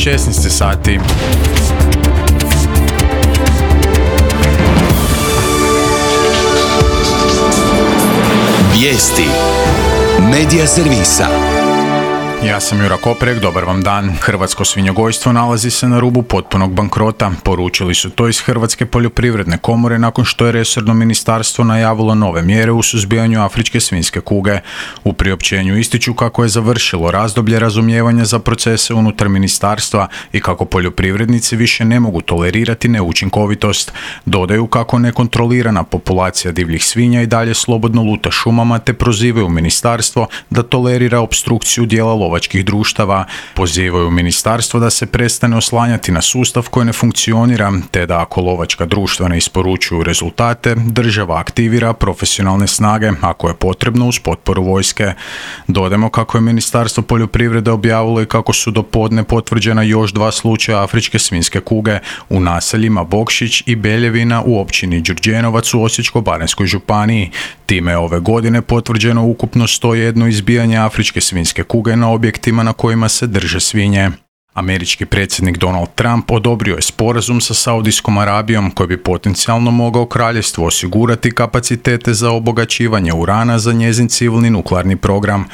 16 sati. Vijesti Medija servisa. Ja sam Jura Koprek, dobar vam dan. Hrvatsko svinjogojstvo nalazi se na rubu potpunog bankrota. Poručili su to iz Hrvatske poljoprivredne komore nakon što je resorno ministarstvo najavilo nove mjere u suzbijanju afričke svinjske kuge. U priopćenju ističu kako je završilo razdoblje razumijevanja za procese unutar ministarstva i kako poljoprivrednici više ne mogu tolerirati neučinkovitost. Dodaju kako nekontrolirana populacija divljih svinja i dalje slobodno luta šumama te prozivaju ministarstvo da tolerira opstrukciju dijela lovačkih društava. Pozivaju ministarstvo da se prestane oslanjati na sustav koji ne funkcionira, te da ako lovačka društva ne isporučuju rezultate, država aktivira profesionalne snage, ako je potrebno uz potporu vojske. Dodajmo kako je Ministarstvo poljoprivrede objavilo i kako su do podne potvrđena još 2 slučaja afričke svinjske kuge u naseljima Bokšić i Beljevina u općini Đurđenovac u Osječko-baranjskoj županiji. Time je ove godine potvrđeno ukupno 101 izbijanje afričke svinjske kuge na objektima na kojima se drže svinje. Američki predsjednik Donald Trump odobrio je sporazum sa Saudijskom Arabijom koji bi potencijalno mogao kraljevstvu osigurati kapacitete za obogaćivanje urana za njezin civilni nuklearni program.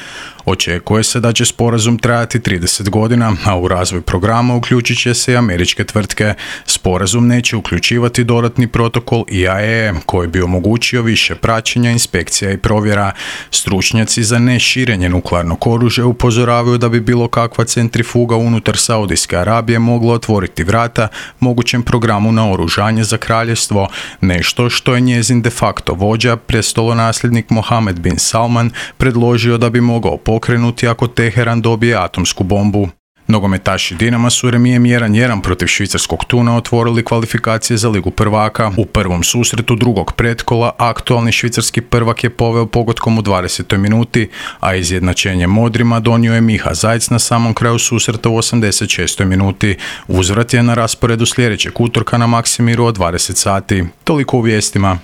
Očekuje se da će sporazum trajati 30 godina, a u razvoj programa uključit će se i američke tvrtke. Sporazum neće uključivati dodatni protokol IAEA koji bi omogućio više praćenja, inspekcija i provjera. Stručnjaci za neširenje nuklearnog oružja upozoravaju da bi bilo kakva centrifuga unutar Saudijske Arabije mogla otvoriti vrata mogućem programu naoružanja za kraljevstvo, nešto što je njezin de facto vođa, prestolonasljednik Mohammed bin Salman, predložio da bi mogao pokrenuti ako Teheran dobije atomsku bombu. Nogometaši Dinama su remijem 1-1 protiv švicarskog Thuna otvorili kvalifikacije za Ligu prvaka. U prvom susretu drugog pretkola aktualni švicarski prvak je poveo pogotkom u 20. minuti, a izjednačenje modrima donio je Miha Zajc na samom kraju susreta u 86. minuti. Uzvrat je na rasporedu sljedećeg utorka na Maksimiru od 20 sati. Toliko u vijestima.